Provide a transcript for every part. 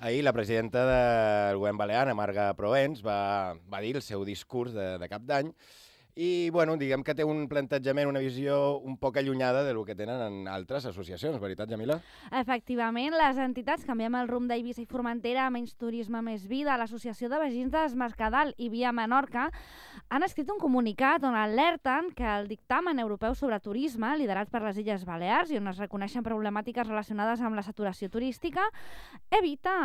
Ahir la presidenta del govern balear, Marga Proens, va dir el seu discurs de cap d'any i, bueno, diguem que té un plantejament, una visió un poc allunyada del que tenen en altres associacions, veritat, Jamila? Efectivament, les entitats Canviem el rumb d'Eivissa i Formentera, Menys Turisme, Més Vida, l'Associació de Veïns d'Es Mercadal i Via Menorca han escrit un comunicat on alerten que el dictamen europeu sobre turisme, liderat per les Illes Balears i on es reconeixen problemàtiques relacionades amb la saturació turística, evita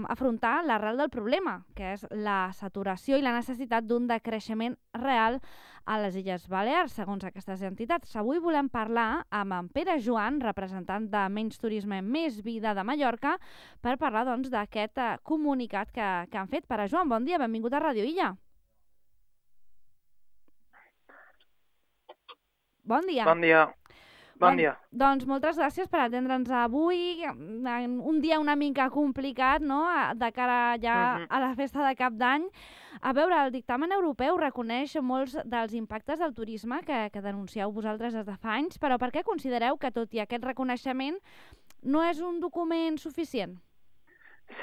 afrontar l'arrel del problema, que és la saturació i la necessitat d'un decreixement real a les Illes Balears, segons aquestes entitats. Avui volem parlar amb en Pere Joan, representant de Menys Turisme, Més Vida de Mallorca, per parlar doncs, d'aquest comunicat que han fet. Pere Joan, bon dia, benvingut a Ràdio Illa. Bon dia. Bon dia. Bon dia. Doncs moltes gràcies per atendre'ns avui, en un dia una mica complicat, no?, de cara ja a la festa de Cap d'Any. A veure, el dictamen europeu reconeix molts dels impactes del turisme que denuncieu vosaltres des de fa anys, però per què considereu que, tot i aquest reconeixement, no és un document suficient?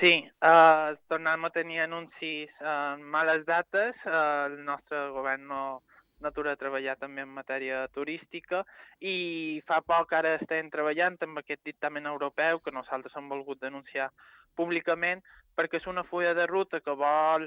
Sí, tornem a tenir anuncis en males dates. El nostre govern no atura a treballar també en matèria turística i fa poc ara estem treballant amb aquest dictamen europeu que nosaltres hem volgut denunciar públicament perquè és una fulla de ruta que vol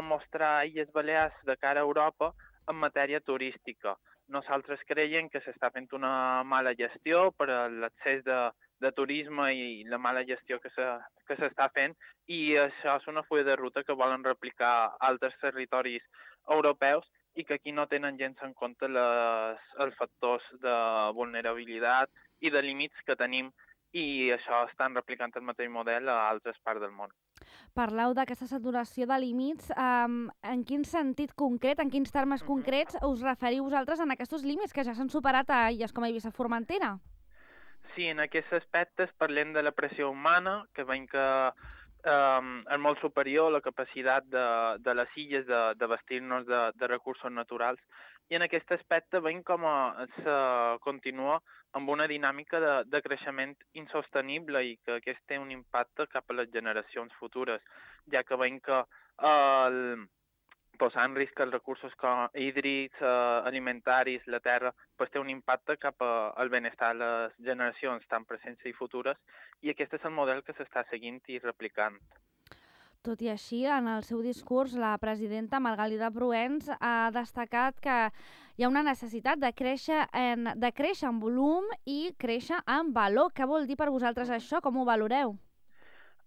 mostrar Illes Balears de cara a Europa en matèria turística. Nosaltres creiem que s'està fent una mala gestió per l'accés de turisme i la mala gestió que s'està fent i això és una fulla de ruta que volen replicar a altres territoris europeus i que aquí no tenen gens en compte els factors de vulnerabilitat i de límits que tenim i això estan replicant el mateix model a altres parts del món. Parleu d'aquesta saturació de límits. En quin sentit concret, en quins termes concrets us referiu vosaltres en aquests límits que ja s'han superat a illes com a Eivissa i Formentera? Sí, en aquests aspectes parlem de la pressió humana, que veiem que és molt superior a la capacitat de les illes de vestir-nos de recursos naturals. I en aquest aspecte veiem com se continua amb una dinàmica de creixement insostenible i que aquest té un impacte cap a les generacions futures, ja que veiem que posar en risc els recursos hídrics, alimentaris, la terra, té un impacte cap al benestar de les generacions tan presents i futures i aquest és el model que s'està seguint i replicant. Tot i així, en el seu discurs, la presidenta Margalida Proens ha destacat que hi ha una necessitat de créixer en volum i créixer en valor. Què vol dir per vosaltres això? Com ho valoreu?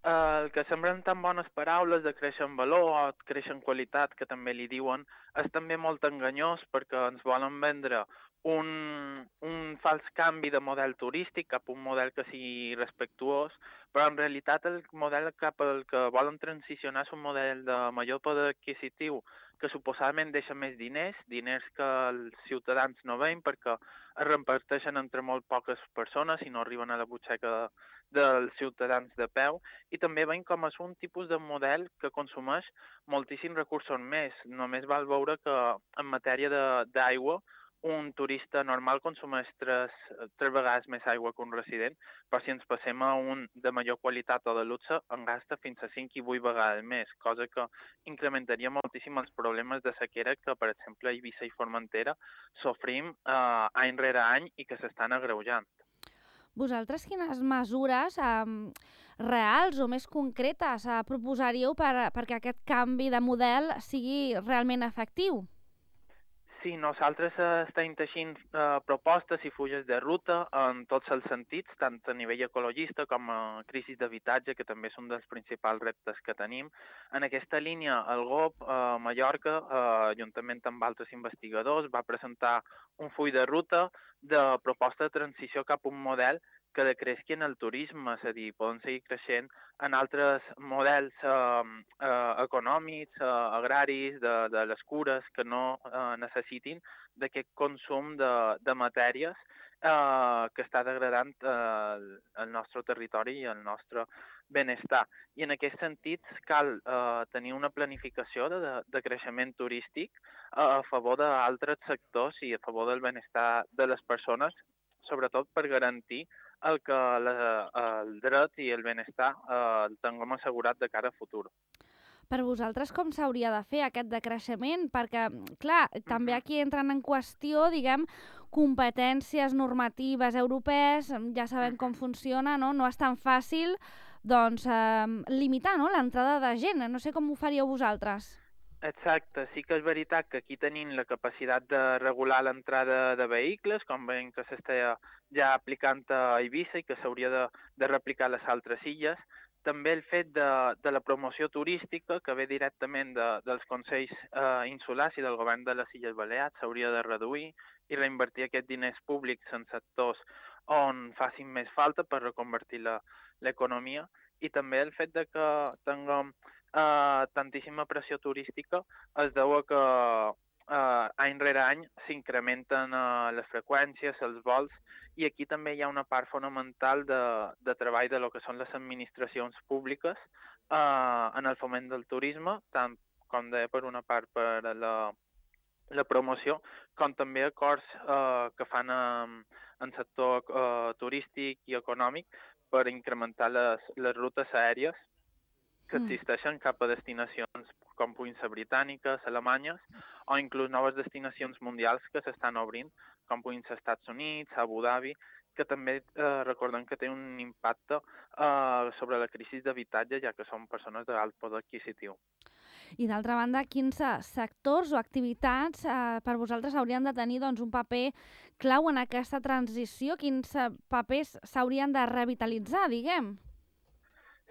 El que semblen tan bones paraules de créixer en valor o créixer en qualitat, que també li diuen, és també molt enganyós perquè ens volen vendre un fals canvi de model turístic cap a un model que sigui respectuós, però en realitat el model cap al que volen transicionar és un model de major poder adquisitiu que suposadament deixa més diners que els ciutadans no veuen perquè es reparteixen entre molt poques persones i no arriben a la butxaca dels ciutadans de peu i també veiem com és un tipus de model que consumeix moltíssims recursos més. Només val veure que en matèria d'aigua un turista normal consumeix tres vegades més aigua que un resident, però si ens passem a un de major qualitat o de luxe, en gasta fins a 5 i 8 vegades més, cosa que incrementaria moltíssim els problemes de sequera que, per exemple, a Eivissa i Formentera sofrim any rere any i que s'estan agreujant. Vosaltres quines mesures reals o més concretes proposaríeu perquè aquest canvi de model sigui realment efectiu? Sí, nosaltres estem teixint propostes i fulles de ruta en tots els sentits, tant a nivell ecologista com a crisi d'habitatge, que també és un dels principals reptes que tenim. En aquesta línia, el GOP Mallorca, juntament amb altres investigadors, va presentar un full de ruta de proposta de transició cap a un model que decresqui en el turisme, és a dir, poden seguir creixent en altres models econòmics, agraris, de les cures, que no necessitin d'aquest consum de matèries que està degradant el nostre territori i el nostre benestar. I en aquest sentit cal tenir una planificació de creixement turístic a favor d'altres sectors i a favor del benestar de les persones sobretot per garantir el dret i el benestar el tinguem assegurat de cara a futur. Per vosaltres com s'hauria de fer aquest decreixement? Perquè, clar, també aquí entren en qüestió, diguem, competències normatives europees, ja sabem com funciona, no? No és tan fàcil, doncs, limitar, no?, l'entrada de gent. No sé com ho faríeu vosaltres. Exacte, sí que és veritat que aquí tenim la capacitat de regular l'entrada de vehicles, com veiem que s'està ja aplicant a Eivissa i que s'hauria de replicar a les altres illes. També el fet de la promoció turística, que ve directament dels Consells Insulars i del govern de les Illes Balears, s'hauria de reduir i reinvertir aquests diners públics en sectors on facin més falta per reconvertir l'economia. I també el fet de que tinguem tantíssima pressió turística es deu a que any rere any s'incrementen les freqüències, els vols, i aquí també hi ha una part fonamental de treball de lo que són les administracions públiques en el foment del turisme, tant com deia per una part per la promoció, com també acords que fan en sector turístic i econòmic per incrementar les rutes aèries que existeixen cap a destinacions com puguin ser britàniques, alemanyes, o inclús noves destinacions mundials que s'estan obrint, com puguin ser Estats Units, Abu Dhabi, que també recordem que té un impacte sobre la crisi d'habitatge, ja que són persones d'alt poder adquisitiu. I d'altra banda, quins sectors o activitats per vosaltres haurien de tenir doncs, un paper clau en aquesta transició? Quins papers s'haurien de revitalitzar, diguem?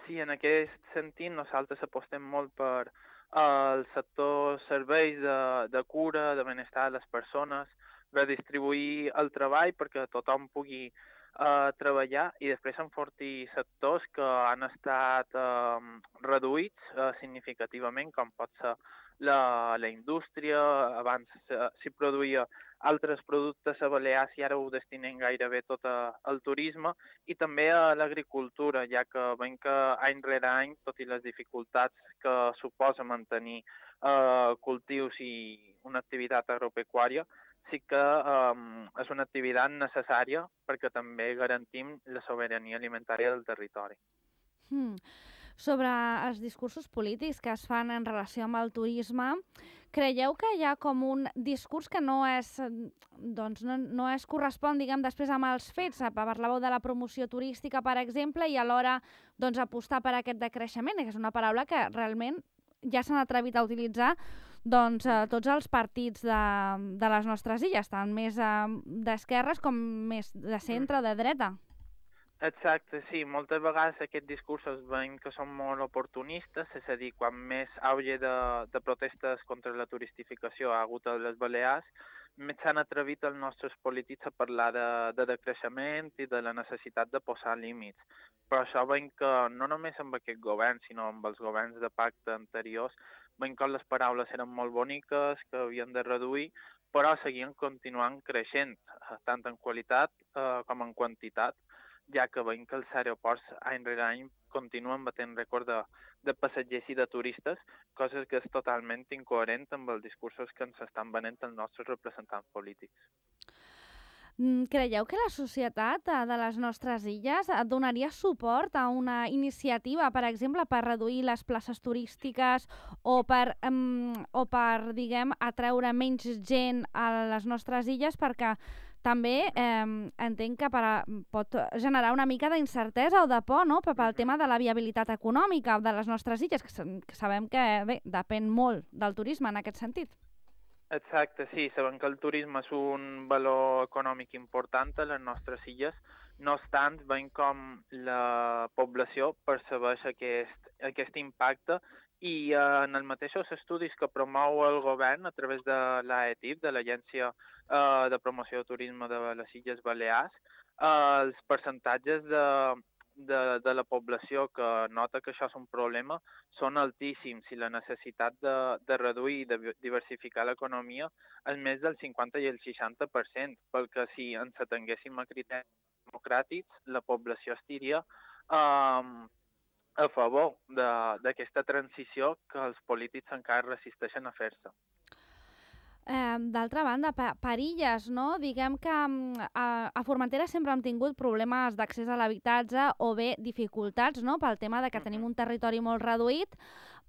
Sí, en aquest sentit nosaltres apostem molt per el sector serveis de cura, de benestar de les persones, redistribuir el treball perquè tothom pugui treballar i després enfortir sectors que han estat reduïts significativament, com pot ser la indústria. Abans s'hi produïa altres productes a Balears i ara ho destinem gairebé tot al turisme, i també a l'agricultura, ja que veiem que any rere any, tot i les dificultats que suposa mantenir cultius i una activitat agropecuària, sí que és una activitat necessària perquè també garantim la sobirania alimentària del territori. Sobre els discursos polítics que es fan en relació amb el turisme, creieu que hi ha com un discurs que no es correspon, diguem, després amb els fets? Parlàveu de la promoció turística, per exemple, i alhora doncs, apostar per aquest decreixement, que és una paraula que realment ja s'han atrevit a utilitzar doncs, tots els partits de les nostres illes, tant més d'esquerres com més de centre, de dreta. Exacte, sí. Moltes vegades aquests discursos veiem que són molt oportunistes, és a dir, quan més auge de protestes contra la turistificació ha hagut a les Balears, més s'han atrevit els nostres polítics a parlar de decreixement i de la necessitat de posar límits. Però això veiem que no només amb aquest govern, sinó amb els governs de pacte anteriors, veiem que les paraules eren molt boniques, que havien de reduir, però seguien continuant creixent, tant en qualitat com en quantitat, ja que veiem que els aeroports any rere any continuen batent rècord de passatgers i de turistes, coses que és totalment incoherent amb els discursos que ens estan venent els nostres representants polítics. Creieu que la societat de les nostres illes donaria suport a una iniciativa, per exemple, per reduir les places turístiques o per diguem, atreure menys gent a les nostres illes, perquè també entenc que pot generar una mica d'incertesa o de por, no?, pel tema de la viabilitat econòmica de les nostres illes, que sabem que depèn molt del turisme en aquest sentit. Exacte, sí. Sabem que el turisme és un valor econòmic important a les nostres illes. No obstant, veiem com la població percebeix aquest impacte i en els mateixos estudis que promou el govern a través de l'AETIP, de l'Agència de Promoció de Turisme de les Illes Balears, els percentatges de la població que nota que això és un problema són altíssims i la necessitat de reduir i de diversificar l'economia és més del 50 i el 60%, perquè si ens atenguéssim a criteris democràtics, la població estiria a favor d'aquesta transició que els polítics encara resisteixen a fer-se. D'altra banda, per illes, no? Diguem que a Formentera sempre hem tingut problemes d'accés a l'habitatge o bé dificultats, no? Pel tema de que tenim un territori molt reduït,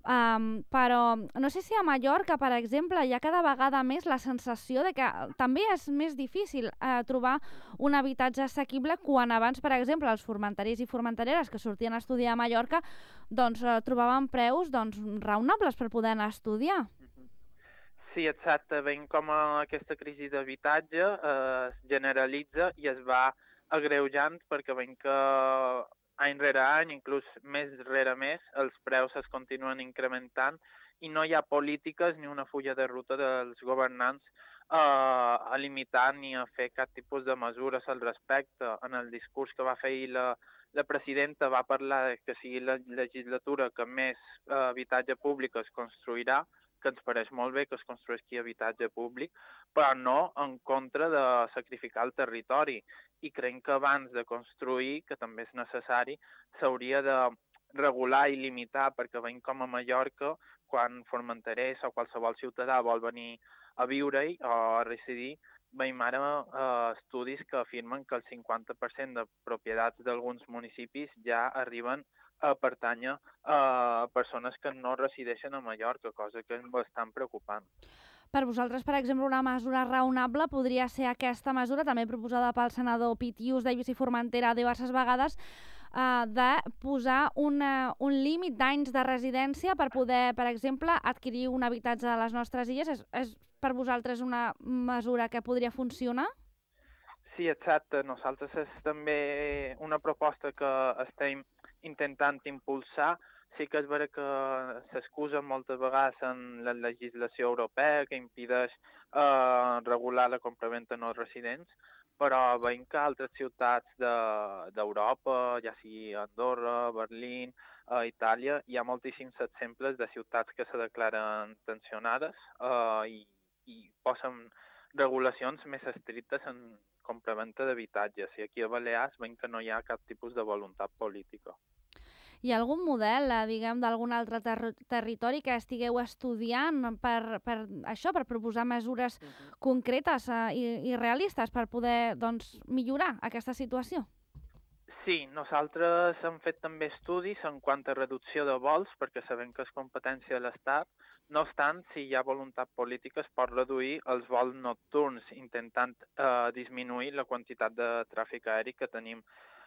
però no sé si a Mallorca, per exemple, hi ha cada vegada més la sensació de que també és més difícil trobar un habitatge assequible quan abans, per exemple, els formenterers i formentereres que sortien a estudiar a Mallorca doncs, trobaven preus raonables per poder anar a estudiar. Sí, exacte. Veiem com aquesta crisi d'habitatge es generalitza i es va agreujant perquè veiem que any rere any, inclús mes rere mes, els preus es continuen incrementant i no hi ha polítiques ni una fulla de ruta dels governants a limitar ni a fer cap tipus de mesures al respecte. En el discurs que va fer la presidenta va parlar que sigui la legislatura que més habitatge públic es construirà, que ens pareix molt bé que es construeixi habitatge públic, però no en contra de sacrificar el territori. I creiem que abans de construir, que també és necessari, s'hauria de regular i limitar, perquè veiem com a Mallorca, quan formenterers o qualsevol ciutadà vol venir a viure-hi o a residir, veiem ara estudis que afirmen que el 50% de propietats d'alguns municipis ja arriben a pertànyer a persones que no resideixen a Mallorca, cosa que és bastant preocupant. Per vosaltres, per exemple, una mesura raonable podria ser aquesta mesura, també proposada pel senador Pitius d'Eivissa i Formentera diverses vegades, de posar un límit d'anys de residència per poder, per exemple, adquirir un habitatge a les nostres illes. És per vosaltres una mesura que podria funcionar? Sí, exacte. Nosaltres és també una proposta que estem intentant impulsar. Sí que és vera que s'excusa moltes vegades en la legislació europea que impedeix regular la compraventa no residents, però veiem que altres ciutats d'Europa, ja sigui Andorra, Berlín, Itàlia, hi ha moltíssims exemples de ciutats que se declaren tensionades i posen regulacions més estrictes en compraventa d'habitatges. I aquí a Balears veiem que no hi ha cap tipus de voluntat política. Hi ha algun model, diguem, d'algun altre territori que estigueu estudiant per això, per proposar mesures concretes i realistes per poder millorar aquesta situació? Sí, nosaltres hem fet també estudis en quant a reducció de vols, perquè sabem que és competència de l'Estat. No obstant, si hi ha voluntat política, es pot reduir els vols nocturns, intentant disminuir la quantitat de tràfic aeri que tenim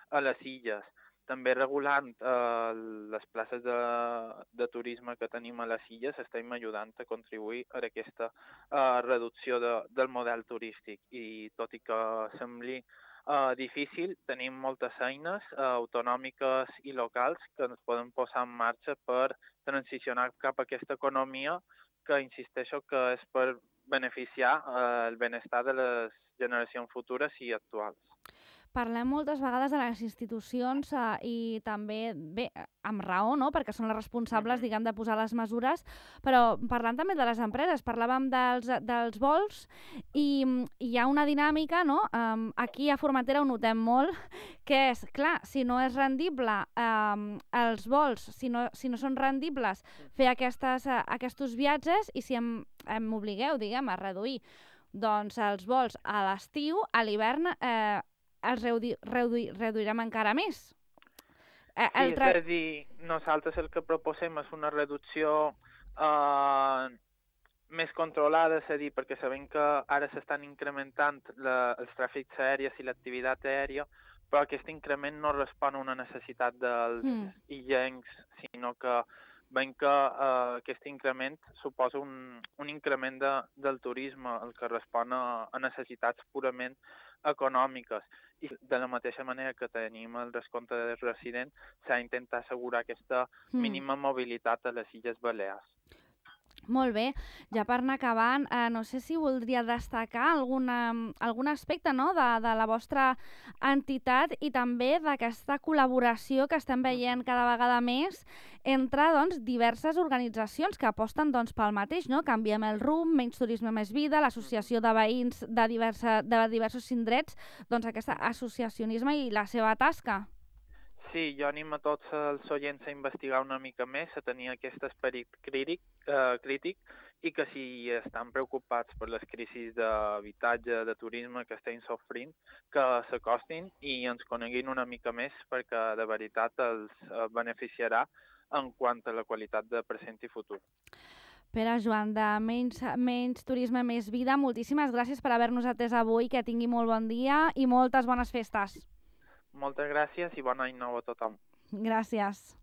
a les illes. També regulant les places de turisme que tenim a les illes estem ajudant a contribuir a aquesta reducció del model turístic. I tot i que sembli difícil, tenim moltes eines autonòmiques i locals que ens poden posar en marxa per transicionar cap a aquesta economia que insisteixo que és per beneficiar el benestar de les generacions futures i actuals. Parlem moltes vegades de les institucions i també, bé, amb raó, no?, perquè són les responsables, diguem, de posar les mesures, però parlant també de les empreses, parlàvem dels vols i hi ha una dinàmica, no?, aquí a Formentera ho notem molt, que és, clar, si no és rendible els vols, si no són rendibles fer aquests viatges i si em obligueu, diguem, a reduir doncs els vols a l'estiu, a l'hivern els reduirem encara més. Sí, és a dir, nosaltres el que proposem és una reducció més controlada, és a dir, perquè sabem que ara s'estan incrementant els tràfics aèries i l'activitat aèria, però aquest increment no respon a una necessitat dels illencs, sinó que veiem que aquest increment suposa un increment del turisme, el que respon a necessitats purament econòmiques. I de la mateixa manera que tenim el descompte de resident, s'ha d'intentar assegurar aquesta mínima mobilitat a les Illes Balears. Molt bé. Ja per anar acabant, no sé si voldria destacar algun aspecte, no?, de la vostra entitat i també d'aquesta col·laboració que estem veient cada vegada més entre diverses organitzacions que aposten pel mateix, no? Canviem el rumb, menys turisme, més vida, l'associació de veïns de diversos indrets, aquest associacionisme i la seva tasca. Sí, jo animo a tots els oients a investigar una mica més, a tenir aquest esperit crític i que si estan preocupats per les crisis d'habitatge, de turisme que estem sofrint, que s'acostin i ens coneguin una mica més perquè de veritat els beneficiarà en quant a la qualitat de present i futur. Pere Joan, de Menys Turisme, Més Vida, moltíssimes gràcies per haver-nos atès avui, que tingui molt bon dia i moltes bones festes. Moltes gràcies i bon any nou a tothom. Gràcies.